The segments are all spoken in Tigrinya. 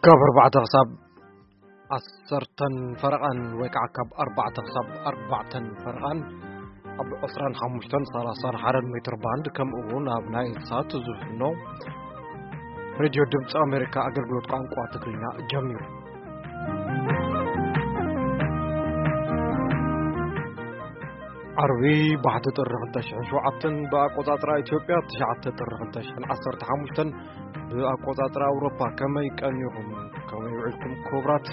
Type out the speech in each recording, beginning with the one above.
ካብ ኣርባዕተ ክሳብ ዓሰርተን ፈረቓን ወይ ከዓ ካብ ኣርባዕተ ክሳብ ኣርባዕተን ፈረቓን ኣብ ዕስራን ሓሙሽተን ሰላሳን ሓደን ሜትር ባንድ፣ ከምኡ እውን ኣብ ናይል ሳት ዝፍኖ ሬድዮ ድምፂ ኣሜሪካ ኣገልግሎት ቋንቋ ትግርኛ ጀሚሩ። ዓርቢ ባሕቲ ጥሪ ክልተ ሽሕን ሸውዓተን ብኣቆጻጽራ ኢትዮጵያ፣ ትሽዓተ ጥሪ ክልተ ሽሕን ዓሰርተ ሓሙሽተን ብኣቆጻጽራ ኣውሮፓ። ከመይ ቀኒኹም? ከመይ ውዒልኩም ክቡራት?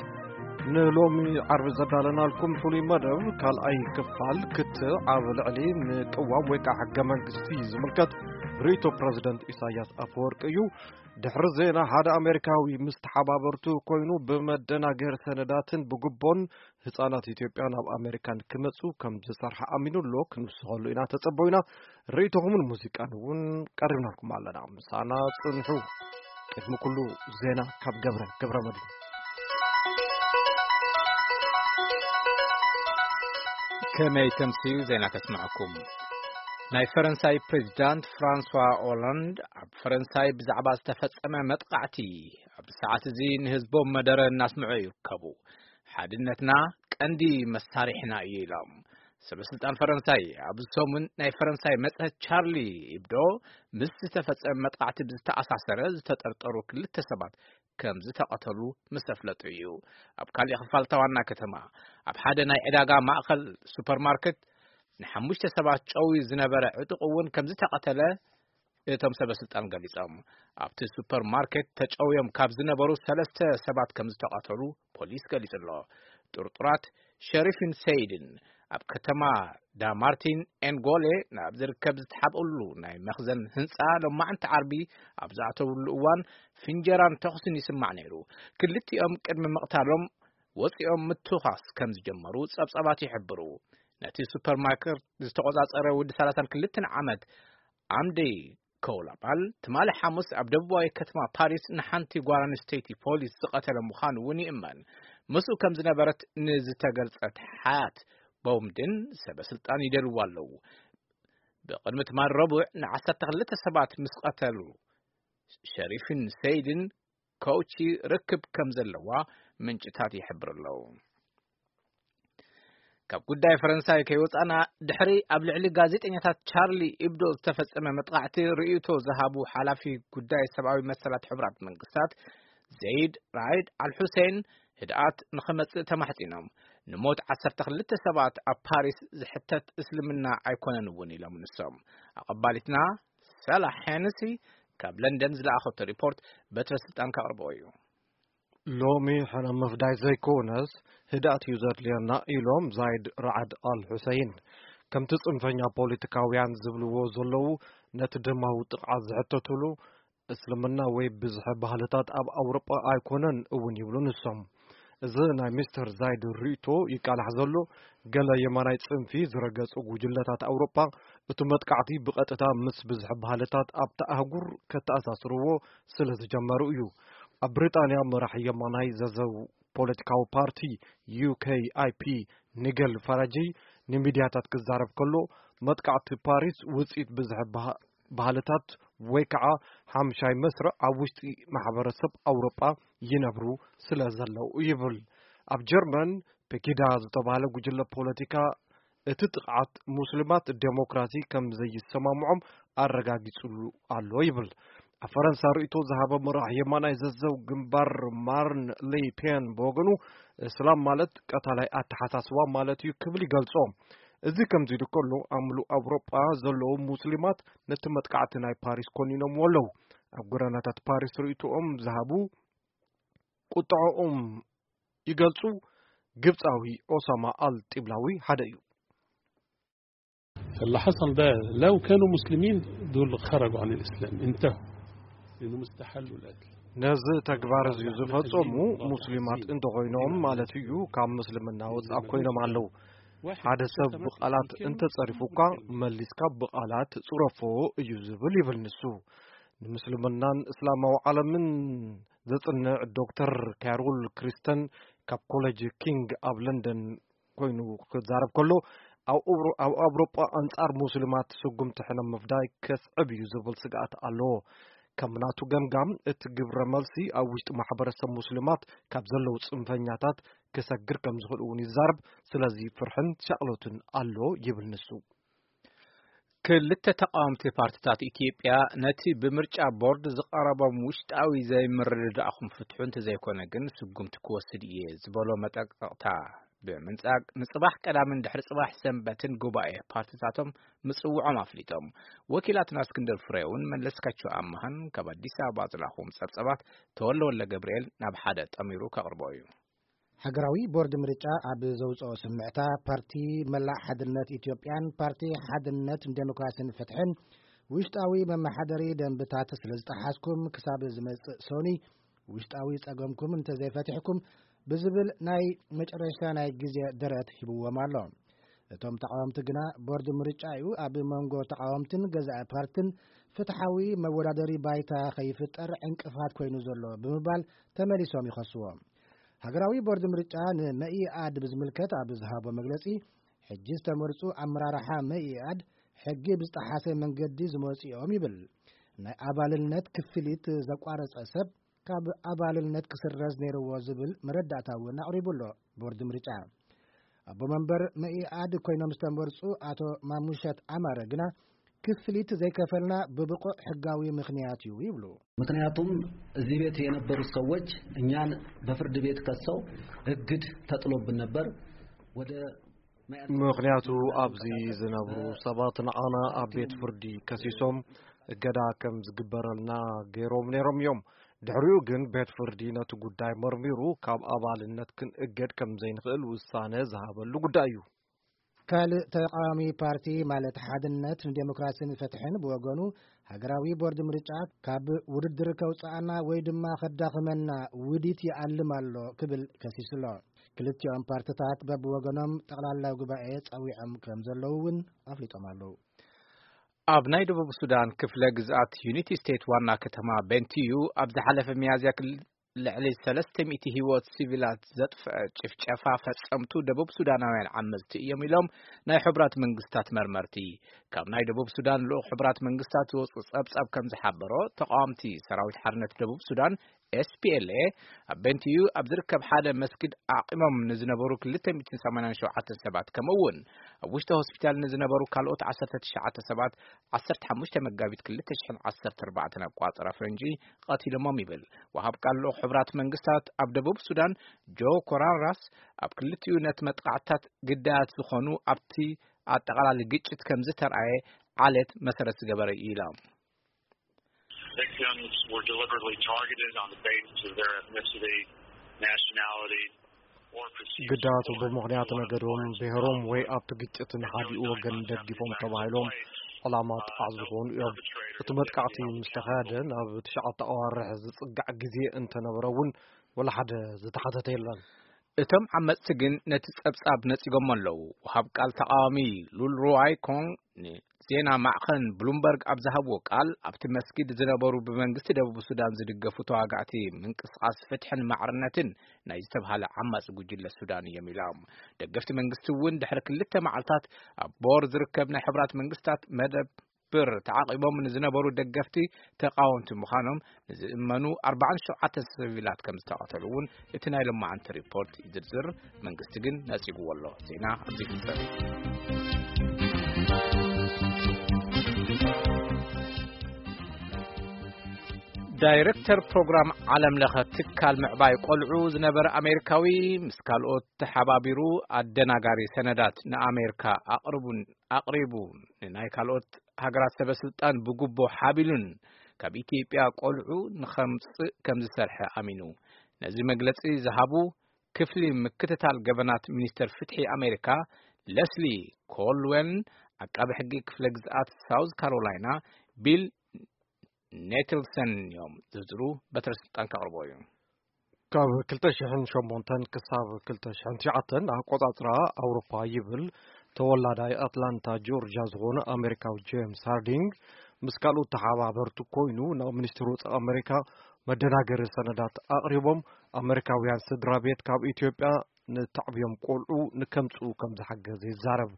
ንሎሚ ዓርቢ ዘዳለናልኩም ፍሉይ መደብ ካልኣይ ክፋል ክትዕ ኣብ ልዕሊ ምቅዋም ወይ ከዓ ሕገ መንግስቲ ዝምልከት ርእይቶ ፕረዚደንት ኢሳያስ ኣፈወርቂ እዩ። ድሕሪ ዜና፣ ሓደ ኣሜሪካዊ ምስ ተሓባበርቱ ኮይኑ ብመደናገሪ ሰነዳትን ብጉቦን ህጻናት ኢትዮጵያ ናብ ኣሜሪካን ክመጹ ከም ዝሰርሐ ኣሚኑ ኣሎ። ክንውስኸሉ ኢና፣ ተጸበዩና። ርእይቶኹምን ሙዚቃን እውን ቀሪብናልኩም ኣለና። ምሳና ጽንሑ። ቅድሚ ኩሉ ዜና ካብ ገብረ፣ ገብረ መድህን። ከመይ ተምስዩ ዜና ከስምዐኩም። ናይ ፈረንሳይ ፕሬዚዳንት ፍራንሷ ኦላንድ ኣብ ፈረንሳይ ብዛዕባ ዝተፈጸመ መጥቃዕቲ ኣብዚ ሰዓት እዚ ንህዝቦም መደረ እናስምዑ ይርከቡ። ሓድነትና ቀንዲ መሳሪሕና እዩ ኢሎም። ሰበ ስልጣን ፈረንሳይ ኣብዚ ሰሙን ናይ ፈረንሳይ መጽሔት ቻርሊ ኢብዶ ምስ ዝተፈጸመ መጥቃዕቲ ብዝተኣሳሰረ ዝተጠርጠሩ ክልተ ሰባት ከም ዝተቐተሉ ምስ ኣፍለጡ እዩ። ኣብ ካሊእ ክፋል እታ ዋና ከተማ ኣብ ሓደ ናይ ዕዳጋ ማእኸል ሱፐርማርኬት ንሓሙሽተ ሰባት ጨውዩ ዝነበረ ዕጡቕ እውን ከም ዝተቐተለ እቶም ሰበ ስልጣን ገሊጾም። ኣብቲ ሱፐርማርኬት ተጨውዮም ካብ ዝነበሩ ሰለስተ ሰባት ከም ዝተቐተሉ ፖሊስ ገሊጹ ኣሎ። ጥርጡራት ሸሪፍን ሰይድን ኣብ ከተማ ዳማርቲን ኤንጎሌ ናብ ዝርከብ ዝተሓብእሉ ናይ መኽዘን ህንጻ ሎማዕንቲ ዓርቢ ኣብ ዝኣተውሉ እዋን ፍንጀራን ተኹስን ይስማዕ ነይሩ። ክልቲኦም ቅድሚ ምቕታሎም ወጺኦም ምትዃስ ከም ዝጀመሩ ጸብጻባት ይሕብሩ። ነቲ ሱፐርማርኬት ዝተቖጻጸረ ወዲ ሰላሳን ክልተን ዓመት ኣምደይ ኮውላባል ትማሊ ሓሙስ ኣብ ደቡባዊ ከተማ ፓሪስ ንሓንቲ ጓል ኣንስተይቲ ፖሊስ ዝቐተለ ምዃኑ እውን ይእመን። ምስኡ ከም ዝነበረት ንዝተገልጸት ሓያት ቦምድን ሰበ ስልጣን ይደልዋ ኣለዉ። ብቕድሚ ትማሊ ረቡዕ ንዓሰርተ ክልተ ሰባት ምስ ቀተሉ ሸሪፍን ሰይድን ኮውቺ ርክብ ከም ዘለዋ ምንጭታት ይሕብሩ ኣለዉ። ካብ ጉዳይ ፈረንሳይ ከይወጻና፣ ድሕሪ ኣብ ልዕሊ ጋዜጠኛታት ቻርሊ ኢብዶ ዝተፈጸመ መጥቃዕቲ ርእይቶ ዝሃቡ ሓላፊ ጉዳይ ሰብኣዊ መሰላት ሕቡራት መንግስታት ዘይድ ራይድ ኣልሑሴን ህድኣት ንኸመጽእ ተማሕጺኖም። ንሞት ዓሰርተ ክልተ ሰባት ኣብ ፓሪስ ዝሕተት እስልምና ኣይኮነን እውን ኢሎም ንሶም። ኣቐባሊትና ሳላ ሄነሲ ካብ ለንደን ዝለኣኸቶ ሪፖርት በትረ ስልጣን ከቕርቦ እዩ። ሎሚ ሕነ ምፍዳይ ዘይኮነስ ህድኣት እዩ ዘድልየና ኢሎም ዛይድ ራዓድ ኣል ሑሰይን። ከምቲ ጽንፈኛ ፖለቲካውያን ዝብልዎ ዘለዉ፣ ነቲ ደማዊ ጥቕዓት ዝሕተትሉ እስልምና ወይ ብዝሒ ባህልታት ኣብ ኣውሮጳ ኣይኮነን እውን ይብሉ ንሶም። እዚ ናይ ሚስተር ዛይድ ርእይቶ ይቃላሕ ዘሎ፣ ገለ የማናይ ጽንፊ ዝረገጹ ጉጅለታት ኣውሮጳ እቲ መጥቃዕቲ ብቐጥታ ምስ ብዝሒ ባህልታት ኣብታ ኣህጉር ከተኣሳስርዎ ስለ ዝጀመሩ እዩ። ኣብ ብሪጣንያ መራሒ የማናይ ዘዘው ፖለቲካዊ ፓርቲ ዩ ኬ ኣይ ፒ ኒገል ፋራጂ ንሚድያታት ክዛረብ ከሎ፣ መጥቃዕቲ ፓሪስ ውጽኢት ብዝሒ ባህ-፣ ባህልታት ወይ ከዓ ሓምሻይ መስርዕ ኣብ ውሽጢ ማሕበረሰብ ኣውሮጳ ይነብሩ ስለ ዘለዉ ይብል። ኣብ ጀርመን ፔጊዳ ዝተባህለ ጉጅለ ፖለቲካ እቲ ጥቕዓት ሙስሊማት ዴሞክራሲ ከም ዘይሰማምዖም ኣረጋጊጹሉ ኣሎ ይብል። ኣብ ፈረንሳ ርእይቶ ዝሃበ መራሕ የማናይ ዘዘው ግንባር ማርን ሌ ፔን ብወገኑ፣ እስላም ማለት ቀታላይ ኣተሓሳስባ ማለት እዩ ክብል ይገልጾ። እዚ ከምዚ ኢሉ ከሎ፣ ኣብ ምሉእ ኣውሮጳ ዘለዉ ሙስሊማት ነቲ መጥቃዕቲ ናይ ፓሪስ ኮኒኖምዎ ኣለዉ። ኣብ ጎደናታት ፓሪስ ርእይቶኦም ዝሃቡ ቁጥዐኦም ይገልጹ። ግብጻዊ ኦሳማ ኣል ጢብላዊ ሓደ እዩ። فاللي حصل ده لو كانوا مسلمين دول خرجوا عن الإسلام، انتهوا، لأنهم استحلوا القتل. ነዚ ተግባር እዚ ዝፈጸሙ ሙስሊማት እንተኾይኖም ማለት እዩ፣ ካብ ምስልምና ወጻእ ኮይኖም ኣለዉ። ሓደ ሰብ ብቓላት እንተጸሪፉ እኳ መሊስካ ብቓላት ጽረፎ እዩ ዝብል ይብል ንሱ። ንምስልምናን እስላማዊ ዓለምን ዘጽንዕ ዶክተር ካሮል ክሪስተን ካብ ኮሌጅ ኪንግ ኣብ ለንደን ኮይኑ ክዛረብ ከሎ፣ ኣብ ኣውሮ-፣ ኣብ ኣውሮጳ ኣንጻር ሙስሊማት ስጉምቲ ሕነ ምፍዳይ ከስዕብ እዩ ዝብል ስግኣት ኣለዎ። ከም ናቱ ገምጋም፣ እቲ ግብረ መልሲ ኣብ ውሽጢ ማሕበረሰብ ሙስሊማት ካብ ዘለዉ ጽንፈኛታት ክሰግር ከም ዝኽእል እውን ይዛረብ። ስለዚ ፍርሕን ሻቕሎትን ኣሎ ይብል ንሱ። ክልተ ተቃወምቲ ፓርቲታት ኢትዮጵያ፣ ነቲ ብምርጫ ቦርድ ዝቐረቦም ውሽጣዊ ዘይምርድዳእኹም ፍትሑ እንተዘይኮነ ግን ስጉምቲ ክወስድ እየ ዝበሎ መጠንቀቕታ ብምንጻግ፣ ንጽባሕ ቀዳምን ድሕሪ ጽባሕ ሰንበትን ጉባኤ ፓርቲታቶም ምጽውዖም ኣፍሊጦም። ወኪላትና እስክንድር ፍሬውን መለስካቸው ኣማሃን ካብ ኣዲስ ኣበባ ዝላኹዎም ጸብጸባት ተወለ ወለ ገብርኤል ናብ ሓደ ጠሚሩ ከቕርቦ እዩ። ሃገራዊ ቦርድ ምርጫ ኣብ ዘውጽኦ ስምዕታ፣ ፓርቲ መላእ ሓድነት ኢትዮጵያን ፓርቲ ሓድነት ንዴሞክራሲን ፍትሕን ውሽጣዊ መመሓደሪ ደንብታት ስለ ዝጠሓስኩም፣ ክሳብ ዝመጽእ ሰኑይ ውሽጣዊ ጸገምኩም እንተዘይፈቲሕኩም ብዝብል ናይ መጨረሻ ናይ ግዜ ደረት ሂብዎም ኣሎ። እቶም ተቃወምቲ ግና፣ ቦርድ ምርጫ እዩ ኣብ መንጎ ተቃወምትን ገዛኢ ፓርትን ፍትሓዊ መወዳደሪ ባይታ ከይፍጠር ዕንቅፋት ኮይኑ ዘሎ ብምባል ተመሊሶም ይኸስዎ። ሃገራዊ ቦርድ ምርጫ ንመኢኣድ ብዝምልከት ኣብ ዝሃቦ መግለጺ፣ ሕጂ ዝተመርጹ ኣመራርሓ መኢኣድ ሕጊ ብዝጠሓሰ መንገዲ ዝመጹ እዮም ይብል። ናይ ኣባልነት ክፍሊት ዘቋረጸ ሰብ ካብ ኣባልነት ክስረዝ ነይርዎ ዝብል መረዳእታ እውን ኣቕሪቡ ኣሎ ቦርድ ምርጫ። ኣቦ መንበር መኢኣድ ኮይኖም ዝተመርጹ ኣቶ ማሙሸት ኣማረ ግና፣ ክፍሊት ዘይከፈልና ብብቑዕ ሕጋዊ ምኽንያት እዩ ይብሉ። ምክንያቱም እዚህ ቤት የነበሩት ሰዎች እኛን በፍርድ ቤት ከሰው እግድ ተጥሎብን ነበር። ወደ ምክንያቱ ኣብዚ ዝነብሩ ሰባት ንዓና ኣብ ቤት ፍርዲ ከሲሶም እገዳ ከም ዝግበረልና ገይሮም ነይሮም እዮም። ድሕሪኡ ግን ቤት ፍርዲ ነቲ ጉዳይ መርሚሩ ካብ ኣባልነት ክንእገድ ከም ዘይንኽእል ውሳነ ዝሃበሉ ጉዳይ እዩ። ካልእ ተቃዋሚ ፓርቲ ማለት ሓድነት ንዴሞክራሲን ፍትሕን ብወገኑ፣ ሃገራዊ ቦርድ ምርጫ ካብ ውድድር ከውጽኣና ወይ ድማ ከዳኽመና ውዲት ይኣልም ኣሎ ክብል ከሲሱ ኣሎ። ክልቲኦም ፓርትታት በብወገኖም ጠቕላላ ጉባኤ ጸዊዖም ከም ዘለዉ እውን ኣፍሊጦም ኣለዉ። ኣብ ናይ ደቡብ ሱዳን ክፍለ ግዝኣት ዩኒቲ ስቴት ዋና ከተማ ቤንቲዩ ኣብ ዝሓለፈ ሚያዝያ ክል-፣ ልዕሊ ሰለስተ ሚእቲ ህይወት ሲቪላት ዘጥፍአ ጭፍጨፋ ፈጸምቱ ደቡብ ሱዳናውያን ዓመጽቲ እዮም ኢሎም ናይ ሕቡራት መንግስታት መርመርቲ። ካብ ናይ ደቡብ ሱዳን ልኡኽ ሕቡራት መንግስታት ዝወጹ ጸብጻብ ከም ዝሓበሮ፣ ተቃወምቲ ሰራዊት ሓርነት ደቡብ ሱዳን፣ ኤስ ፒ ኤል ኤ፣ ኣብ ቤንቲዩ ኣብ ዝርከብ ሓደ መስጊድ ኣዕቂሞም ንዝነበሩ ክልተ ሚእትን ሰማንያን ሸውዓተን ሰባት፣ ከምኡ እውን ኣብ ውሽጢ ሆስፒታል ንዝነበሩ ካልኦት ዓሰርተ ትሽዓተ ሰባት፣ ዓሰርተ ሓሙሽተ መጋቢት ክልተ ሽሕን ዓሰርተ ኣርባዕተን ኣቋጽራ ፈንጂ ቀቲሎሞም ይብል። ወሃብ ቃል ልኡኽ ሕቡራት መንግስታት ኣብ ደቡብ ሱዳን ጆ ኮራራስ፣ ኣብ ክልቲኡ ነቲ መጥቃዕትታት ግዳያት ዝኾኑ ኣብቲ ኣጠቓላሊ ግጭት ከም ዝተርኣየ ዓሌት መሰረት ዝገበረ እዩ ኢሎም። Victims were deliberately targeted on the basis of their ethnicity, nationality, or perceived ግዳያቱ support ብምኽንያት for ነገዶም፣ unidentified ብሔሮም ወይ conflict. ኣብቲ ግጭት ንሓዲኡ ወገን ደግፎም ተባሂሎም ዕላማ ጥቓዕ ዝኾኑ እዮም። እቲ መጥቃዕቲ ምስ ተኻየደ ናብ ትሽዓተ ኣዋርሕ ዝጽጋዕ ግዜ እንተነበረ እውን፣ ወላ ሓደ ዝተሓተተ የለን። እቶም ዓመጽቲ ግን ነቲ ጸብጻብ ነጺጎሞ ኣለዉ። ወሃብ ቃል ተቃዋሚ ሉል ሩዋይ ኮንግ ንዜና ማዕኸን ብሉምበርግ ኣብ ዝሃብዎ ቃል፣ ኣብቲ መስጊድ ዝነበሩ ብመንግስቲ ደቡብ ሱዳን ዝድገፉ ተዋጋእቲ ምንቅስቃስ ፍትሕን ማዕርነትን ናይ ዝተብሃለ ዓማጺ ጉጅለ ሱዳን እዮም ኢሎም። ደገፍቲ መንግስቲ እውን ድሕሪ ክልተ መዓልታት ኣብ ቦር ዝርከብ ናይ ሕቡራት መንግስታት መደብ ብር ተዓቒቦም ንዝነበሩ ደገፍቲ ተቓወምቲ ምዃኖም ንዝእመኑ ኣርባዓን ሸውዓተን ሲቪላት ከም ዝተቐተሉ እውን እቲ ናይ ሎማዓንቲ ሪፖርት ይዝርዝር። መንግስቲ ግን ነጺግዎ ኣሎ። ዜና ኣብዚ ይፍጸም። ዳይሬክተር ፕሮግራም ዓለም ለኸ ትካል ምዕባይ ቆልዑ ዝነበረ ኣሜሪካዊ፣ ምስ ካልኦት ተሓባቢሩ ኣደናጋሪ ሰነዳት ንኣሜሪካ ኣቕርቡን ኣቕሪቡ፣ ንናይ ካልኦት ሃገራት ሰበ ስልጣን ብጉቦ ሓቢሉን ካብ ኢትዮጵያ ቆልዑ ንኸምጽእ ከም ዝሰርሐ ኣሚኑ። ነዚ መግለጺ ዝሃቡ ክፍሊ ምክትታል ገበናት ሚኒስተር ፍትሒ ኣሜሪካ ለስሊ ኮልዌን፣ ዓቃቢ ሕጊ ክፍለ ግዝኣት ሳውዝ ካሮላይና ቢል ኔትልሰን እዮም። ዝርዝሩ በትረ ስልጣን ከቕርቦ እዩ። ካብ ክልተ ሽሕን ሸሞንተን ክሳብ ክልተ ሽሕን ትሽዓተን ኣቆጻጽራ ኣውሮፓ ይብል ተወላዳይ ኣትላንታ ጆርጂያ ዝኾነ ኣሜሪካዊ ጄምስ ሃርዲንግ፣ ምስ ካልኦት ተሓባበርቱ ኮይኑ ናብ ሚኒስትሪ ወጻኢ ኣሜሪካ መደናገሪ ሰነዳት ኣቕሪቦም፣ ኣሜሪካውያን ስድራ ቤት ካብ ኢትዮጵያ ንተዕብዮም ቆልዑ ንከምጽኡ ከም ዝሓገዘ ይዛረብ።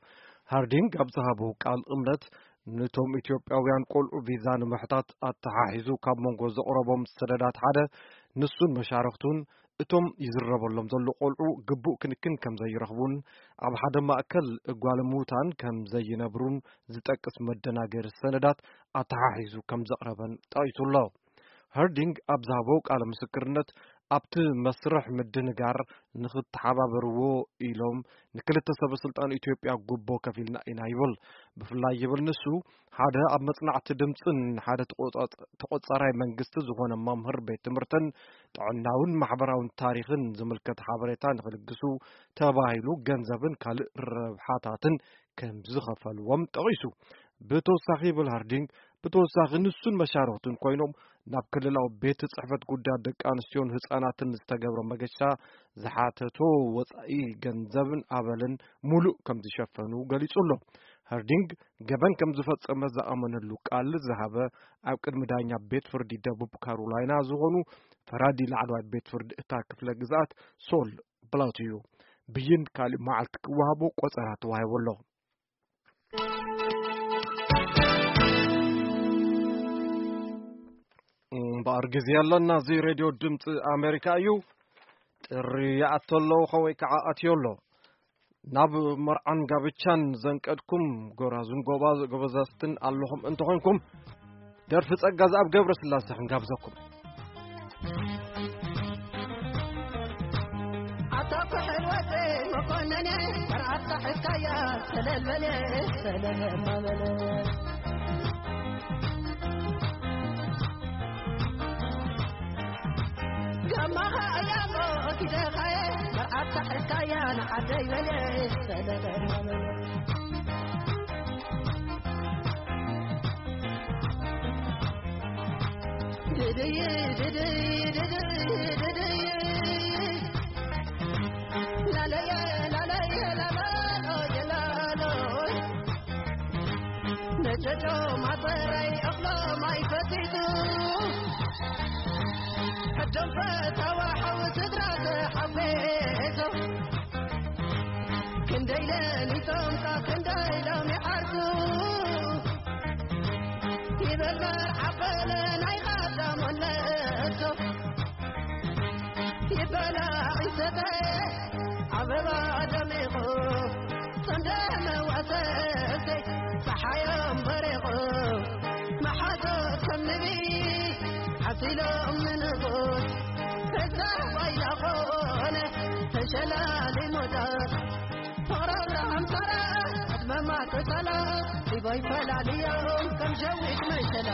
ሃርዲንግ ኣብ ዝሃቦ ቃል እምነት ነቶም ኢትዮጵያውያን ቆልዑ ቪዛ ንምሕታት ኣተሓሒዙ ካብ መንጎ ዘቕረቦም ሰነዳት ሓደ፣ ንሱን መሻርኽቱን እቶም ይዝረበሎም ዘሎ ቆልዑ ግቡእ ክንክን ከም ዘይረኽቡን ኣብ ሓደ ማእከል ጓለሙታን ከም ዘይነብሩን ዝጠቅስ መደናገሪ ሰነዳት ኣተሓሒዙ ከም ዘቕረበን ጠቒሱ ኣሎ። ሀርዲንግ ኣብ ዝሃቦ ቃለ ምስክርነት፣ ኣብቲ መስርሕ ምድንጋር ንኽተሓባበርዎ ኢሎም ንክልተ ሰበ ስልጣን ኢትዮጵያ ጉቦ ከፊልና ኢና ይብል። ብፍላይ ይብል ንሱ፣ ሓደ ኣብ መጽናዕቲ ድምጽን ሓደ ተቆጻጽ-፣ ተቆጻራይ መንግስቲ ዝኾነ መምህር ቤት ትምህርትን ጥዕናውን ማሕበራውን ታሪኽን ዝምልከት ሓበሬታ ንኽልግሱ ተባሂሉ ገንዘብን ካልእ ረብሓታትን ከም ዝኸፈልዎም ጠቒሱ። ብተወሳኺ ይብል ሀርዲንግ፣ ብተወሳኺ ንሱን መሻርኽቱን ኮይኖም ናብ ክልላዊ ቤት ጽሕፈት ጉዳያት ደቂ ኣንስትዮን ህጻናትን ዝተገብረ መገሻ ዝሓተቶ ወጻኢ ገንዘብን ኣበልን ሙሉእ ከም ዝሸፈኑ ገሊጹ ኣሎ። ሀርዲንግ ገበን ከም ዝፈጸመ ዝኣመነሉ ቃል ዝሃበ ኣብ ቅድሚ ዳኛ ቤት ፍርዲ ደቡብ ካሮላይና ዝኾኑ ፈራዲ ላዕለዋይ ቤት ፍርዲ እታ ክፍለ ግዝኣት ሶል ብላውት እዩ። ብይን ካልእ መዓልቲ ክወሃቦ ቆጸራ ተዋሂቡ ኣሎ። እምበኣር ግዜ ኣለና። እዚ ሬድዮ ድምፂ ኣሜሪካ እዩ። ጥሪ ይኣቶ ኣሎ፣ ወይ ከዓ ኣትዮ ኣሎ። ናብ መርዓን ጋብቻን ዘንቀድኩም ጎራዙን ጎባ-፣ ጎበዛዝትን ኣለኹም እንተኾንኩም፣ ደርፊ ጸጋዝኣብ ገብረስላሴ ክንጋብዘኩም። ኣታ ኩሕል ወደ መኮነነ፣ መርዓት ካሕካያ ሰለል በለ፣ ሰለል በለ። ጋማኻ እያሞ ኪደኻየ፣ መርዓት ካሕካያ ንዓደይ በለ፣ ሰለል በለ። ድድይ፣ ድድይ፣ ድድይ፣ ድድይ። ላለየ፣ ላለየ፣ ላላሎየ፣ ላሎይ። ነጨጮ ማጠራይ እኽሎ ማይ ፈቲቱ። ሕዶም ፈታዋ ሓው ስድራ ተሓቤቶ። ክንደይ ለሊቶም ካብ ክንደይ ሎም ይዓርኩ። ይበል መርዓ በለ ናይ ቀዳሞት ነእቶ። ይበላ ይሰተ ኣበባ ደሚቑ። ሰንደመ ዋሰሰ ጸሓዮም በሪቑ። መሓዞት ከም ንቢ ሓሲሎም ንጉስ። ተዛባይ ላኾነ ተሸላሊሞታት። ፎሮራ ኣምሳራ ኣድመማ ተሳላ። ዲቦይ ፈላልዮም ከም ሸዊት መሸላ።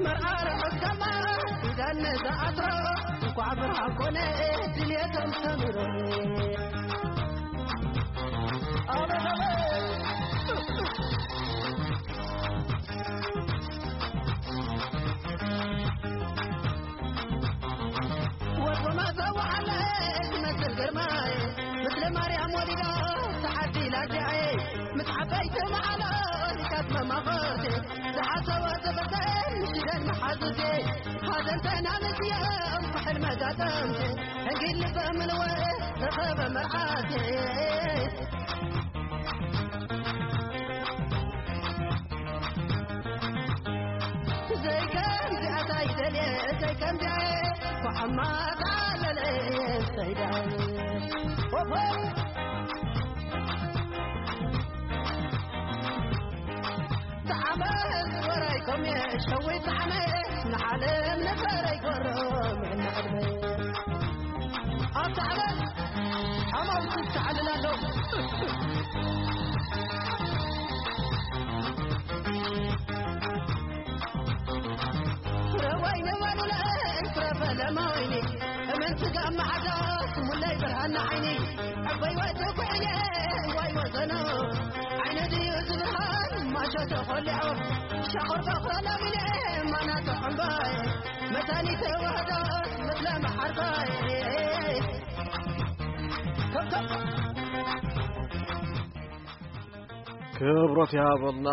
መርዓ ርሑስ ከማ ኪዳን ንዝኣስሮ። እንኳዕ ብርሃን ኮነ ድልየቶም ሰምሮ። ኣበበ። ወርቁ መሰዋዕለ ትመስል ግርማይ፣ ምስለ ማርያም ወሊዳ ተዓዲላ ኣዲኣይ፣ ምስ ዓበይቲ መዓላ ሪካት መማኸርቴ፣ ዝሓሰዋ ዘመተን ምሽደን መሓዙቴ፣ ሓዘንተን ኣምስዮም ኩሕል መጋጠምቴ፣ ሕንጊል ልበ ምልወ ረኸበ መርዓቴ። ዘይከምዚኣ ታይደልየ፣ ዘይከምዚኣ ኳዕማ ጣለለ ሰይዳ። ኦሆ! ጣዕመ ወራይኮም የሸዊ ጣዕመ፣ ንዓለም ንፈረይ ጎሮም ንዕድመ። ኣብ ጣዕመ ሓማውቲ ተዓልል ኣሎ። ፍረ ወይኒ ወሉለ፣ ፍረ ፈለማ ወይኒ፣ እመን ስጋ መዓዛ፣ ስሙለይ ብርሃን ንዓይኒ። ዕበይ ወዲ ኩዕየ፣ ዋይ ወዘኖ፣ ዓይነ ድዩ ዝብርሃን፣ ማሾ ተኾሊዖ፣ ሻቑር በኽሮ ለሚለ፣ ማና ተኾምባይ፣ መታኒ ተዋህዶ፣ ምስለ መዓርባይ። ክብረት ይሃበልና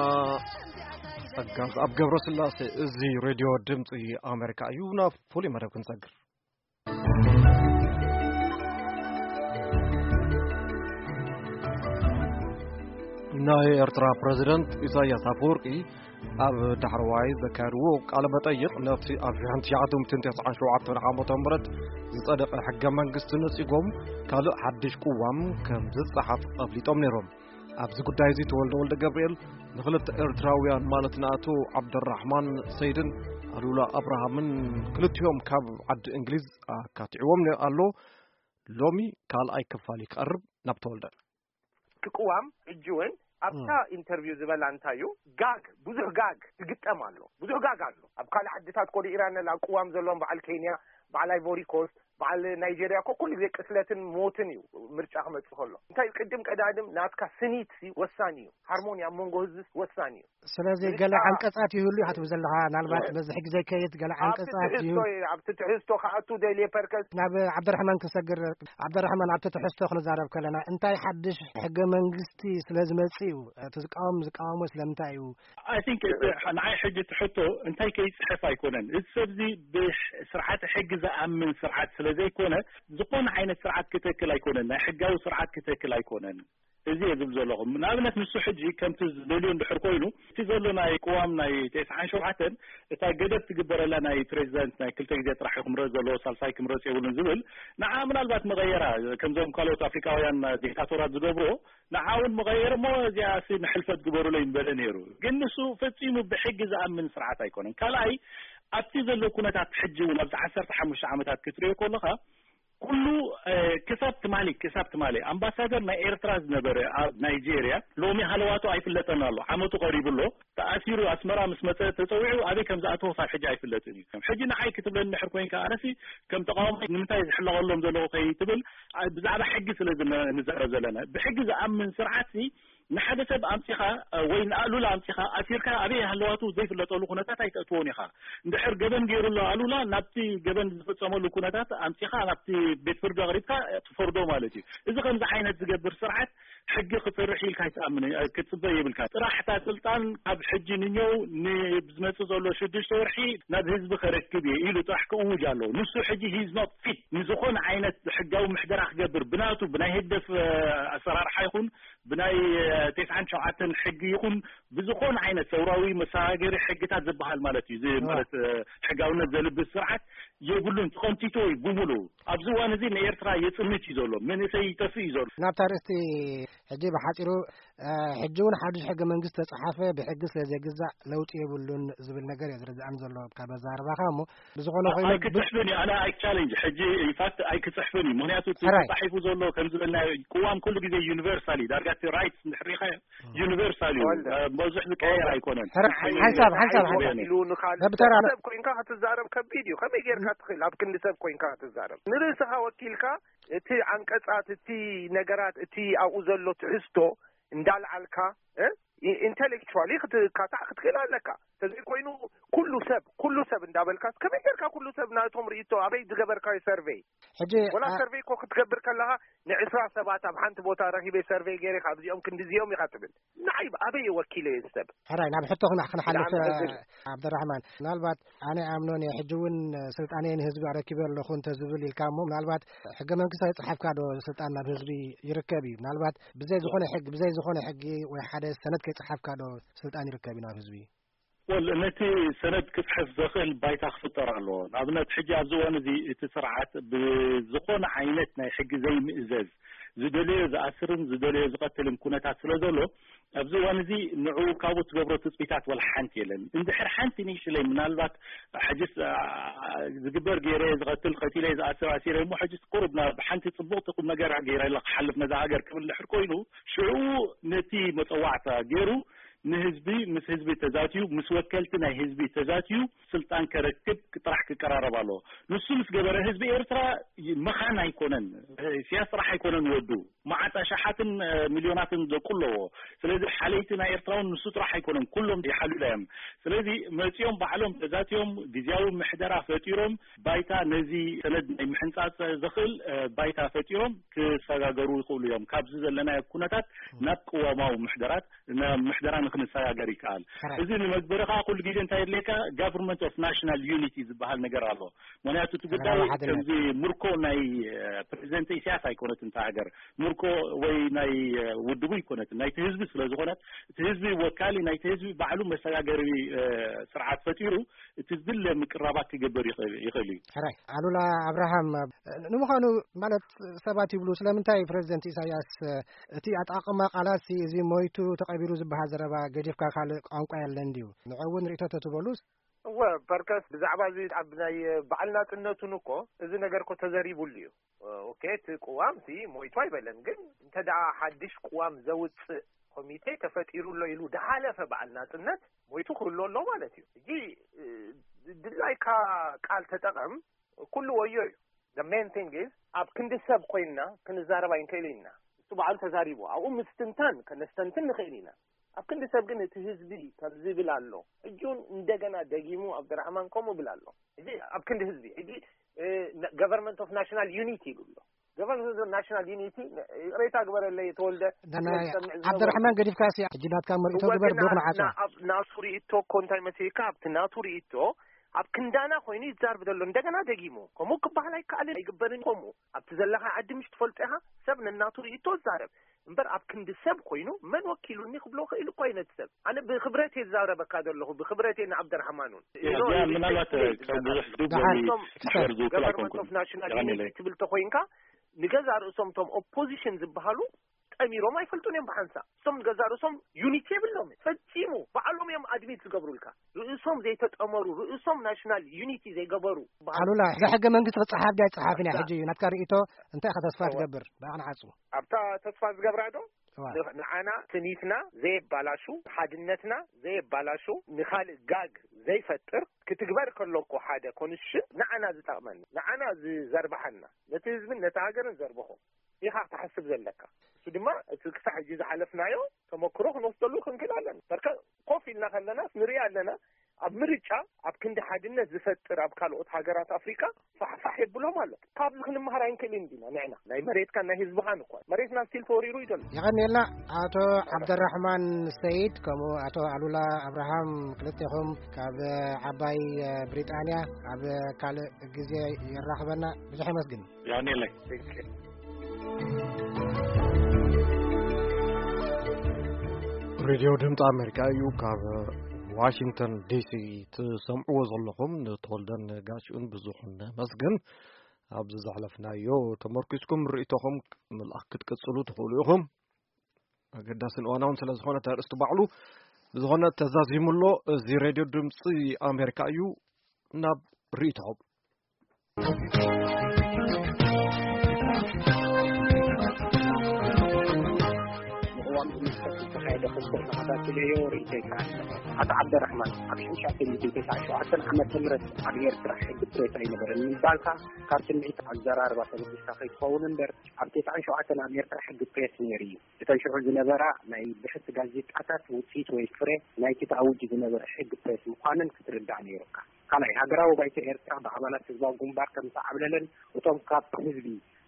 ጸጋ ኣብ ገብረስላሴ። እዚ ሬድዮ ድምፂ ኣሜሪካ እዩ። ናብ ፍሉይ መደብ ክንሰግር። ናይ ኤርትራ ፕረዚደንት ኢሳያስ ኣፈወርቂ ኣብ ዳሕረዋይ ዘካየድዎ ቃለ መጠይቕ፣ ነቲ ኣብ ሓንቲ ሺሕ ትሽዓተ ሚእትን ተስዓን ሸውዓተን ዓመተ ምህረት ዝጸደቐ ሕገ መንግስቲ ነጺጎም፣ ካልእ ሓድሽ ቅዋም ከም ዝጸሓፍ ኣፍሊጦም ነይሮም። ኣብዚ ጉዳይ እዚ ተወልደ ወልደ ገብርኤል ንኽልተ ኤርትራውያን፣ ማለት ንኣቶ ዓብደራሕማን ሰይድን ኣሉላ ኣብርሃምን፣ ክልቲኦም ካብ ዓዲ እንግሊዝ፣ ኣካቲዕዎም ኣሎ። ሎሚ ካልኣይ ክፋል እዩ ክቐርብ። ናብ ተወልደ። እቲ ቅዋም ሕጂ እውን ኣብታ ኢንተርቪው ዝበላ እንታይ እዩ፣ ጋግ፣ ብዙሕ ጋግ ትግጠም ኣሎ። ብዙሕ ጋግ ኣሎ። ኣብ ካልእ ዓድታት ኮዲ ኢራን ላ ቅዋም ዘለዎም፣ በዓል ኬንያ፣ በዓል ኣይቮሪ ኮስት፣ በዓል ናይጄርያ እኮ ኩሉ ግዜ ቅትለትን ሞትን እዩ ምርጫ ክመጽእ ከሎ። እንታይ እዩ፣ ቅድም ቀዳድም ናትካ ስኒት ወሳኒ እዩ። ሃርሞኒ ኣብ መንጎ ህዝቢ ወሳኒ እዩ። ስለዚ ገለ ዓንቀጻት ይህሉ ኢኻ ትብል ዘለኻ፣ ናልባት በዚ ሕጊ ዘይከይድ ገለ ዓንቀጻት ይህሉ። ኣብቲ ትሕዝቶ ክኣቱ ደልየ ፐርከስ። ናብ ዓብደራሕማን ክንሰግር። ዓብደራሕማን፣ ኣብቲ ትሕዝቶ ክንዛረብ ከለና እንታይ ሓድሽ ሕገ መንግስቲ ስለ ዝመጽእ እዩ? እቲ ዝቃወም ዝቃወሞ ስለምንታይ እዩ? I think ንዓይ ሕጂ ትሕቶ እንታይ ከይጽሕፍ ኣይኮነን። እዚ ሰብ እዚ ብስርዓተ ሕጊ ዝኣምን ስርዓት ስለ ዘይኮነ፣ ዝኾነ ዓይነት ስርዓት ክተክል ኣይኮነን፣ ናይ ሕጋዊ ስርዓት ክተክል ኣይኮነን። እዚ እየ ዝብል ዘለኹ። ንኣብነት ንሱ ሕጂ ከምቲ ዝደልዮ እንድሕር ኮይኑ፣ እቲ ዘሎ ናይ ቅዋም ናይ ተስዓን ሸውዓተን፣ እታ ገደብ ትግበረላ፣ ናይ ፕሬዚዳንት ናይ ክልተ ግዜ ጥራሕ ክምረጽ ዘለዎ፣ ሳልሳይ ክምረጽ የብሉን ዝብል፣ ንዓ ምናልባት መቐየራ፣ ከምዞም ካልኦት ኣፍሪካውያን ዲክታቶራት ዝገብሮ፣ ንዓ እውን መቐየር እሞ እዚኣ ሲ ንሕልፈት ግበሩለይ ምበለ ነይሩ። ግን ንሱ ፈጺሙ ብሕጊ ዝኣምን ስርዓት ኣይኮነን። ካልኣይ፣ ኣብቲ ዘሎ ኩነታት ሕጂ እውን ኣብዚ ዓሰርተ ሓሙሽተ ዓመታት ክትሪኦ ከለኻ፣ ኩሉ ክሳብ ትማሊ ክሳብ ትማሊ ኣምባሳደር ናይ ኤርትራ ዝነበረ ኣብ ናይጄርያ፣ ሎሚ ሃለዋቱ ኣይፍለጠን ኣሎ። ዓመቱ ቀሪቡ ኣሎ። ተኣሲሩ ኣስመራ ምስ መጸ ተጸዊዑ ኣበይ ከም ዝኣተወ ሳብ ሕጂ ኣይፍለጥን እዩ። ሕጂ ንዓይ ክትብለኒ ድሕር ኮይንካ፣ ኣነሲ ከም ተቃዋማይ ንምንታይ ዝሕለቐሎም ዘለኹ ከይትብል፣ ብዛዕባ ሕጊ ስለ ንዛረብ ዘለና፣ ብሕጊ ዝኣምን ስርዓት ንሓደ ሰብ ኣምጺኻ ወይ ንኣሉላ ኣምጺኻ ኣሲርካ ኣበይ ሃለዋቱ ዘይፍለጠሉ ኩነታት ኣይተእትዎን ኢኻ። እንድሕር ገበን ገይሩ ኣሎ ኣሉላ፣ ናብቲ ገበን ዝፈጸመሉ ኩነታት ኣምጺኻ ናብቲ ቤት ፍርዲ ኣቕሪብካ ትፈርዶ ማለት እዩ። እዚ ከምዚ ዓይነት ዝገብር ስርዓት ሕጊ ክሰርሕ ኢልካ ኣይትኣምን ክትጽበ የብልካ። ጥራሕ እታ ስልጣን ካብ ሕጂ ንኛው ንዝመጽእ ዘሎ ሽዱሽተ ወርሒ ናብ ህዝቢ ከረክብ እየ ኢሉ ጥራሕ ክእውጅ ኣለዎ። ንሱ ሕጂ he's not fit ንዝኾነ ዓይነት ሕጋዊ ምሕደራ ክገብር፣ ብናቱ ብናይ ህግደፍ ኣሰራርሓ ይኹን ብናይ ተስዓን ሸውዓተን ሕጊ ይኹን ብዝኾነ ዓይነት ሰውራዊ መሰጋገሪ ሕግታት ዝበሃል ማለት እዩ። እዚ ማለት ሕጋውነት ዘልብስ ስርዓት የብሉን፣ ተቐንጢጡ እዩ ብምሉኡ። ኣብዚ እዋን እዚ ንኤርትራ የጽንት እዩ ዘሎ፣ መንእሰይ ይጠፍእ እዩ ዘሎ። ናብታ ርእስቲ ሕጂ ብሓጺሩ፣ ሕጂ እውን ሓድሽ ሕገ መንግስቲ ተጻሓፈ ብሕጊ ስለ ዘይግዛእ ለውጢ የብሉን ዝብል ነገር እየ ዝርድኣን ዘሎ ካብ ኣዘራርባኻ። እሞ ብዝኾነ ኮይኑ ኣይክጽሕፍን እዩ። ኣነ ኣይ ቻለንጅ ሕጂ ኢንፋክት ኣይክጽሕፍን እዩ። ምክንያቱ እቲ ተጻሒፉ ዘሎ ከም ዝበልና ቅዋም ኩሉ ግዜ ዩኒቨርሳል እዩ። ዳርጋ እቲ ራይትስ እንድሕር ሪኢኻዮ ዩኒቨርሳል እዩ። ብዙሕ ዝቀየር ኣይኮነን። ሓንሳብ ሓንሳብ ሓንሳብ ኢሉ ንኻልእ ሰብ ኮይንካ ክትዛረብ ከቢድ እዩ። ከመይ ጌርካ ትኽእል ኣብ ክንዲ ሰብ ኮይንካ ክትዛረብ? ንርእስኻ ወኪልካ እቲ ዓንቀጻት፣ እቲ ነገራት፣ እቲ ኣብኡ ዘሎ ትሕዝቶ እንዳልዓልካ ኢንቴሌክቹዋሊ ክትካታዕ ክትክእል ኣለካ። ተዘይኮይኑ ኩሉ ሰብ ኩሉ ሰብ እንዳበልካ ከመይ ጌርካ ኩሉ ሰብ ናቶም ርእይቶ ኣበይ ዝገበርካዮ ሰርቬይ? ሕጂ ወላ ሰርቬይ እኮ ክትገብር ከለኻ ንዕስራ ሰባት ኣብ ሓንቲ ቦታ ረኺበ ሰርቬይ ገይረ ካብዚኦም ክንዲዚኦም ኢኻ ትብል። ንዓይ ኣበይ ወኪለ እየ ሰብ? ሕራይ ናብ ሕቶ ክና- ክንሓልፍ። ዓብደራሕማን፣ ምናልባት ኣነ ኣምኖን እየ ሕጂ እውን ስልጣነይ ንህዝቢ ኣረኪበ ኣለኹ እንተዝብል ኢልካ እሞ ምናልባት ሕገ መንግስቲ ኣይጸሓፍካ ዶ ስልጣን ናብ ህዝቢ ይርከብ እዩ? ምናልባት ብዘይ ዝኾነ ሕጊ ብዘይ ዝኾነ ሕጊ ወይ ሓደ ሰነድ ከይጸሓፍካ ዶ ስልጣን ይርከብ እዩ ናብ ህዝቢ? ወል ነቲ ሰነድ ክጽሕፍ ዘኽእል ባይታ ክፍጠር ኣለዎ። ንኣብነት ሕጂ ኣብዚ እዋን እዚ እቲ ስርዓት ብዝኾነ ዓይነት ናይ ሕጊ ዘይምእዘዝ ዝደለዮ ዝኣስርን ዝደለዮ ዝቐትልን ኩነታት ስለ ዘሎ ኣብዚ እዋን እዚ ንዕኡ ካብኡ ትገብሮ ትጽቢታት ወላ ሓንቲ የለን። እንድሕር ሓንቲ ንእሽለይ ምናልባት ሕጅስ ዝግበር ገይረ ዝቐትል ቀቲለ ዝኣስር ኣሲረ እሞ ሕጅስ ቁሩብ ናብ ሓንቲ ጽቡቕቲ ቁም ነገር ገይረ ክሓልፍ ነዛ ሃገር ክብል ድሕር ኮይኑ ሽዑ ነቲ መጸዋዕታ ገይሩ ንህዝቢ ምስ ህዝቢ ተዛትዩ ምስ ወከልቲ ናይ ህዝቢ ተዛትዩ ስልጣን ከረክብ ጥራሕ ክቀራረብ ኣለዎ። ንሱ ምስ ገበረ ህዝቢ ኤርትራ መኻን ኣይኮነን። ኢሳያስ ጥራሕ ኣይኮነን ወዱ መዓት ኣሽሓትን ሚልዮናትን ደቁ ኣለዎ። ስለዚ ሓለይቲ ናይ ኤርትራ እውን ንሱ ጥራሕ ኣይኮነን፣ ኩሎም ይሓልዩላ እዮም። ስለዚ መጺኦም ባዕሎም ተዛትዮም ግዝያዊ ምሕደራ ፈጢሮም ባይታ ነዚ ሰነድ ናይ ምሕንጻጽ ዘኽእል ባይታ ፈጢሮም ክሰጋገሩ ይኽእሉ እዮም። ካብዚ ዘለናዮ ኩነታት ናብ ቅዋማዊ ምሕደራት ናብ ምሕደራ ክንሰጋገር ይከኣል። እዚ ንመግበሪ ከዓ ኩሉ ግዜ እንታይ የድልየካ? Government of National Unity ዝበሃል ነገር ኣሎ። ምክንያቱ እቲ ጉዳይ ከምዚ ምርኮ ናይ ፕሬዚደንት ኢሳያስ ኣይኮነትን እታ ሃገር፣ ምርኮ ወይ ናይ ውድቡ ኣይኮነትን፣ ናይቲ ህዝቢ ስለ ዝኾነት፣ እቲ ህዝቢ ወካሊ ናይቲ ህዝቢ ባዕሉ መሰጋገሪ ስርዓት ፈጢሩ እቲ ዝድለ ምቅራባት ክገብር ይኽእል እዩ። ሕራይ ኣሉላ ኣብርሃም፣ ንምዃኑ ማለት ሰባት ይብሉ ስለምንታይ ፕሬዚደንት ኢሳያስ እቲ ኣጣቕማ ቃላት እዚ ሞይቱ ተቐቢሩ ዝበሃል ዘረባ ገዲፍካ ካልእ ቋንቋ የለን ድዩ? ንዕኡ እውን ርእይቶ ተትበሉስ? እወ፣ በርከስ ብዛዕባ እዚ ኣብ ናይ በዓል ናጽነቱን እኮ እዚ ነገር እኮ ተዘሪቡሉ እዩ። ኦኬ፣ እቲ ቅዋም ሲ ሞይቱ ኣይበለን፣ ግን እንተ ደኣ ሓድሽ ቅዋም ዘውጽእ ኮሚቴ ተፈጢሩ ኣሎ ኢሉ ድሓለፈ በዓል ናጽነት ሞይቱ ክህሉ ኣሎ ማለት እዩ። ሕጂ ድላይካ ቃል ተጠቐም፣ ኩሉ ወዮ እዩ። The main thing is ኣብ ክንዲ ሰብ ኮይንና ክንዛረብ ኣይንክእል ኢና። እሱ በዓሉ ተዛሪቡ ኣብኡ ምስትንታን ከነስተንትን ንኽእል ኢና። ኣብ ክንዲ ሰብ ግን እቲ ህዝቢ ከም ዝብል ኣሎ። ሕጂ እውን እንደገና ደጊሙ ኣብደራሕማን ከምኡ ብል ኣሎ። ሕጂ ኣብ ክንዲ ህዝቢ ሕጂ Government of National Unity ይብሎ። Government of National Unity፣ ይቕሬታ ግበረለይ ተወልደ፣ ናይ ዓብደራሕማን ገዲፍካ ሲ ሕጂ ናትካ መርኢቶ ግበር። ብሩክ ንዓጾ። ናቱ ርእቶ እኮ እንታይ መሲልካ ኣብቲ ናቱ ርእቶ ኣብ ክንዳና ኮይኑ ይዛርብ ዘሎ እንደገና ደጊሙ። ከምኡ ክበሃል ኣይከኣልን ኣይግበርን። ከምኡ ኣብቲ ዘለኻ ዓዲ ምሽ ትፈልጦ ኢኻ። ሰብ ነናቱ ርእቶ ይዛረብ እምበር ኣብ ክንዲ ሰብ ኮይኑ መን ወኪሉኒ ክብሎ ክእል እኮ ኣይነት ሰብ። ኣነ ብክብረት እየ ዝዛረበካ ዘለኹ፣ ብክብረት እየ ንዓብደርሓማኑን። ምናልባት ብዙሕ ድብ ወይ ክሕር ዝውክል government ኣይኮንኩን። Government of National Unity ትብል ተኮይንካ ንገዛ ርእሶም እቶም ኦፖዚሽን ዝበሃሉ ጠሚሮም ኣይፈልጡን እዮም ብሓንሳ። እሶም ንገዛ ርእሶም ዩኒቲ የብሎም ፈጺሙ። ባዕሎም እዮም ኣድሚት ዝገብሩልካ። ርእሶም ዘይተጠመሩ፣ ርእሶም ናሽናል ዩኒቲ ዘይገበሩ። ኣሉላ፣ እዛ ሕገ መንግስቲ ክጸሓፍ ድያ ኣይጸሓፍን እያ? ሕጂ እዩ ናትካ ርእይቶ። እንታይ ኢኻ ተስፋ ትገብር ብኣቕንዓጹ? ኣብታ ተስፋ ዝገብራ ዶ ንዓና ስኒትና ዘየባላሹ፣ ሓድነትና ዘየባላሹ፣ ንኻልእ ጋግ ዘይፈጥር ክትግበር ከሎ እኮ ሓደ ኮንስሽን ንዓና ዝጠቕመና፣ ንዓና ዝዘርብሓና፣ ነቲ ህዝብን ነቲ ሃገርን ዘርብኾ ኢኻ ክትሓስብ ዘለካ። እሱ ድማ እቲ ክሳዕ ሕጂ ዝሓለፍናዮ ተመክሮ ክንወስደሉ ክንክእል ኣለና። በርከ ኮፍ ኢልና ከለናስ ንርኢ ኣለና። ኣብ ምርጫ ኣብ ክንዲ ሓድነት ዝፈጥር ኣብ ካልኦት ሃገራት ኣፍሪካ ፋሕፋሕ የብሎም ኣሎ። ካብዚ ክንመሃር ኣይንክእልን ዲና ንዕና ናይ መሬትካ ናይ ህዝብኻን እኳ መሬትና ስቲል ተወሪሩ እዩ ዘሎ። የቐንየልና ኣቶ ዓብደራሕማን ሰይድ ከምኡ ኣቶ ኣሉላ ኣብርሃም ክልቴኹም ካብ ዓባይ ብሪጣንያ ኣብ ካልእ ግዜ የራኽበና። ብዙሕ የመስግን። የቐንየለይ። ሬድዮ ድምፂ ኣሜሪካ እዩ። ካብ ዋሽንግተን ዲሲ ትሰምዕዎ ዘለኹም ንተወልደን ጋሽኡን ብዙኹን መስግን። ኣብዚ ዘሕለፍናዮ ተመርኪስኩም ርእይቶኹም ምልኣኽ ክትቅጽሉ ትኽእሉ ኢኹም። ኣገዳስን እዋናውን ስለ ዝኾነ እቲ ኣርእስቲ ባዕሉ። ብዝኾነ ተዛዚሙ ኣሎ። እዚ ሬድዮ ድምፂ ኣሜሪካ እዩ። ናብ ርእይቶኹም። ንእዋን ብምስከት ዝተኻየደ ክስተት ተኸታቲለዮ ርእይቶ ይከኣል። ኣቶ ዓብደራሕማን ኣብ ሽዱሽተ ሚእትን ተስዓን ሸውዓተን ዓመተ ምህረት ኣብ ኤርትራ ሕጊ ፕሬስ ኣይነበረን ምባልካ ካብ ስምዒት ኣዘራርባ ተበጊስካ ከይትኸውን እምበር ኣብ ተስዓን ሸውዓተን ኣብ ኤርትራ ሕጊ ፕሬስ ነይሩ እዩ። እተን ሽዑ ዝነበራ ናይ ብሕቲ ጋዜጣታት ውፅኢት ወይ ፍረ ናይቲ ተኣዊጁ ዝነበረ ሕጊ ፕሬስ ምዃነን ክትርዳእ ነይሩካ። ካልኣይ፣ ሃገራዊ ባይቶ ኤርትራ ብኣባላት ህዝባዊ ግንባር ከም ዝተዓብለለን እቶም ካብ ህዝቢ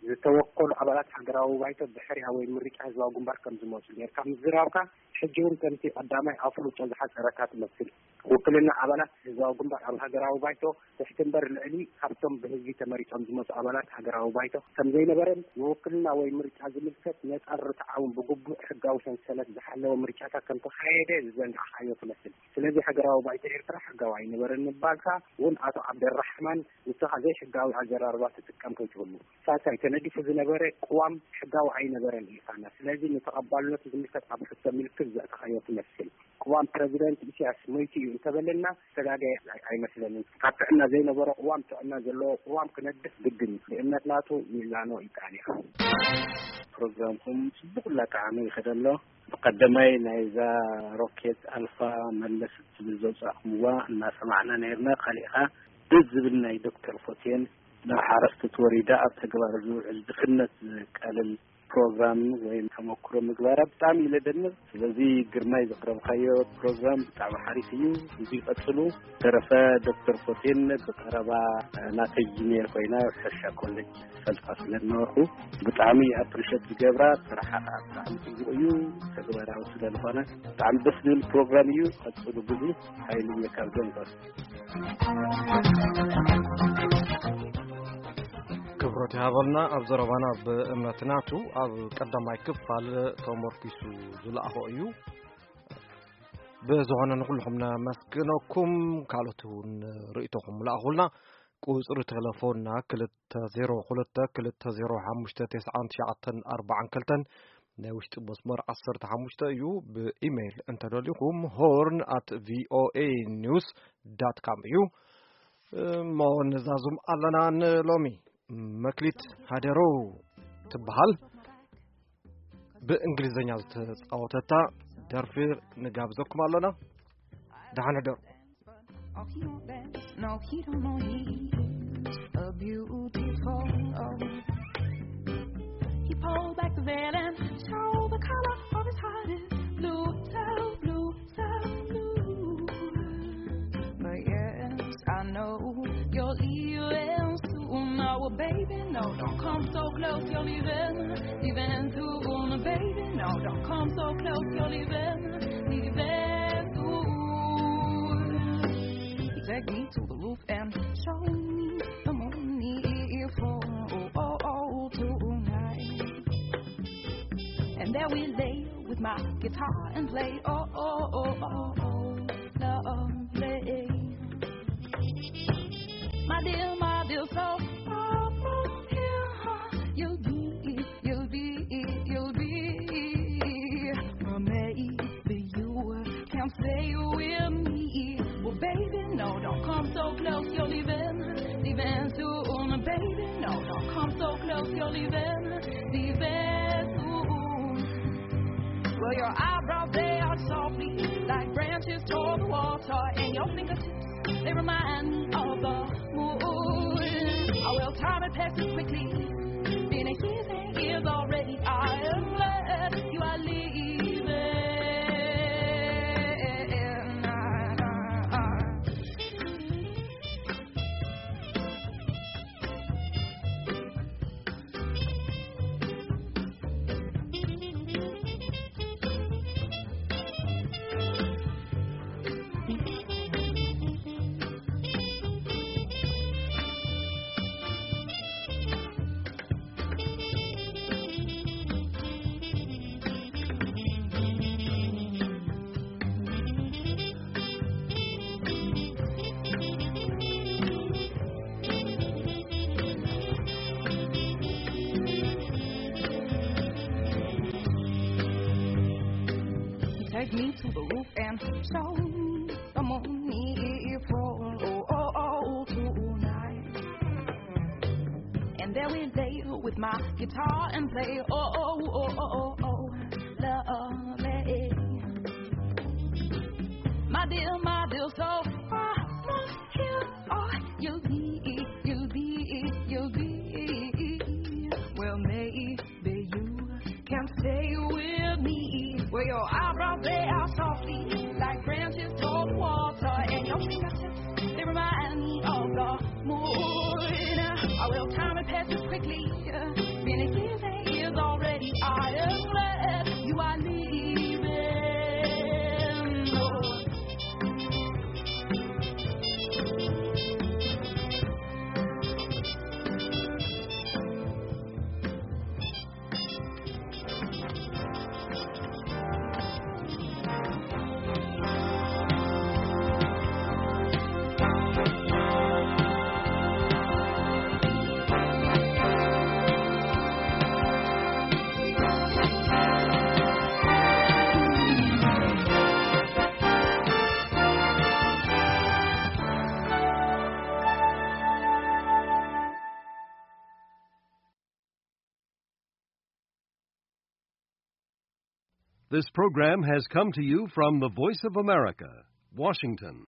ዝተወከሉ ኣባላት ሃገራዊ ባይቶ ብሕርያ ወይ ምርጫ ህዝባዊ ግንባር ከም ዝመጹ ጌርካ ምዝራብካ፣ ሕጂ እውን ከምቲ ቀዳማይ ኣፍልጦ ዝሓጸረካ ትመስል። ውክልና ኣባላት ህዝባዊ ግንባር ኣብ ሃገራዊ ባይቶ ትሕቲ እምበር ልዕሊ ካብቶም ብህዝቢ ተመሪጾም ዝመጹ ኣባላት ሃገራዊ ባይቶ ከም ዘይነበረን፣ ንውክልና ወይ ምርጫ ዝምልከት ነጻን ርትዓውን ብግቡእ ሕጋዊ ሰንሰለት ዝሓለወ ምርጫታት ከም ተኻየደ ዝዘንጋዕካዮ ትመስል። ስለዚ ሃገራዊ ባይቶ ኤርትራ ሕጋዊ ኣይነበረን ምባልካ እውን ኣቶ ዓብደራሕማን ንስኻ ዘይሕጋዊ ኣዘራርባ ትጥቀም ከይትህሉ። ሳልሳይ፣ ተነዲፉ ዝነበረ ቅዋም ሕጋዊ ኣይነበረን ኢልካና። ስለዚ ንተቐባልነቱ ዝምልከት ኣብ ሕቶ ምልክት ዘእተኻዮ ትመስል። ቅዋም ፕረዚደንት ኢሳያስ ሞይቱ እዩ እንተበለና ዝተጋገየ ኣይ-፣ ኣይመስለንን። ካብ ጥዕና ዘይነበሮ ቅዋም ጥዕና ዘለዎ ቅዋም ክነድፍ ግድን እዩ። ብእምነት ናቱ ሚዛኖ ይከኣል እዩ። ፕሮግራምኩም ጽቡቕ እናጠዓመ ይኸደ ኣሎ። ብቐደማይ ናይዛ ሮኬት ኣልፋ መለስ እትብል ዘውጻእኩምዋ እናሰማዕና ነይርና። ካሊእኻ ደስ ዝብል ናይ ዶክተር ፎቴን ናብ ሓረስቶት ወሪዳ ኣብ ተግባር ዝውዕል ድኽነት ዘቃልል ፕሮግራም ወይም ተመክሮ ምግባራ ብጣዕሚ ኢለ ደንቕ። ስለዚ ግርማይ ዘቕረብካዮ ፕሮግራም ብጣዕሚ ሓሪፍ እዩ፣ እዚ ይቐጽሉ። ተረፈ ዶክተር ፎቴን ብቐረባ ናተይ ጅኒየር ኮይና ሕርሻ ኮሌጅ ፈልጣ ስለ ዝነበርኩ ብጣዕሚ ኣፕሪሸት ዝገብራ ስራሓ ከዓ ብጣዕሚ ጽቡቕ እዩ፣ ተግባራዊ ስለ ዝኾነ ብጣዕሚ ደስ ዝብል ፕሮግራም እዩ። ቀጽሉ፣ ብዙ ሓይሊ እየ ካብ ደንበር። ክብረት ይሃበልና። ኣብ ዘረባና ብእምነት ናቱ ኣብ ቀዳማይ ክፋል ተመርኪሱ ዝለኣኾ እዩ። ብዝኾነ ንኩልኹም ነመስግነኩም። ካልኦት እውን ርእይቶኹም ለኣኹልና። ቁጽሪ ቴሌፎንና ክልተ ዜሮ ክልተ ክልተ ዜሮ ሓሙሽተ ተስዓን ትሽዓተን ኣርባዓን ክልተን፣ ናይ ውሽጢ መስመር ዓሰርተ ሓሙሽተ እዩ። ብኢሜይል እንተደሊኹም ሆርን ኣት ቪኦኤ ኒውስ ዳት ካም እዩ። እሞ ንዛዙም ኣለና ንሎሚ። መክሊት ሃደሮ ትበሃል። ብእንግሊዝኛ ዝተጻወተታ ደርፊ ንጋብዘኩም ኣለና። ደሓን ሕደሩ። Oh, he don't dance, no, he don't know he is a beautiful. Oh. He pulled back the veil and showed the color of his heart is blue, so blue, so blue. But yes, I know you're leaving soon. Oh, well, baby, no, don't come so close, you're leaving, leaving soon. Baby, no, don't come so close, you're leaving, leaving soon. Take me to the roof and show me the moon for oh, oh, oh, tonight. And there we lay with my guitar and play oh, oh, oh, oh, oh, lovely. My dear, my dear, so far from here, you'll be, you'll be, you'll be. Or maybe you can stay with me. Well, baby, no, don't come so close, you're leaving, leaving soon. Baby, no, don't come so close, you're leaving, leaving soon. Well, your eyebrows, they are softly like branches toward the water, and your fingertips, they remind me of the moon. Oh, well, time it passes quickly, been a year, ten years already. I am glad you are leaving. Take me to the roof and show me the moon for oh, oh, oh, tonight. And there we lay with my guitar and play oh, oh, oh, oh, oh, oh, lovely. My dear, my dear, so far from here, oh, you'll be, you'll be, you'll be. Well, maybe you can stay with me. Where your eyebrows, they are softly like branches toward water, and your fingertips, they remind me of the moon. Oh, well, time it passes quickly. Been a year, ten years already. I am glad you are leaving. Oh. This program has come to you from the Voice of America, Washington.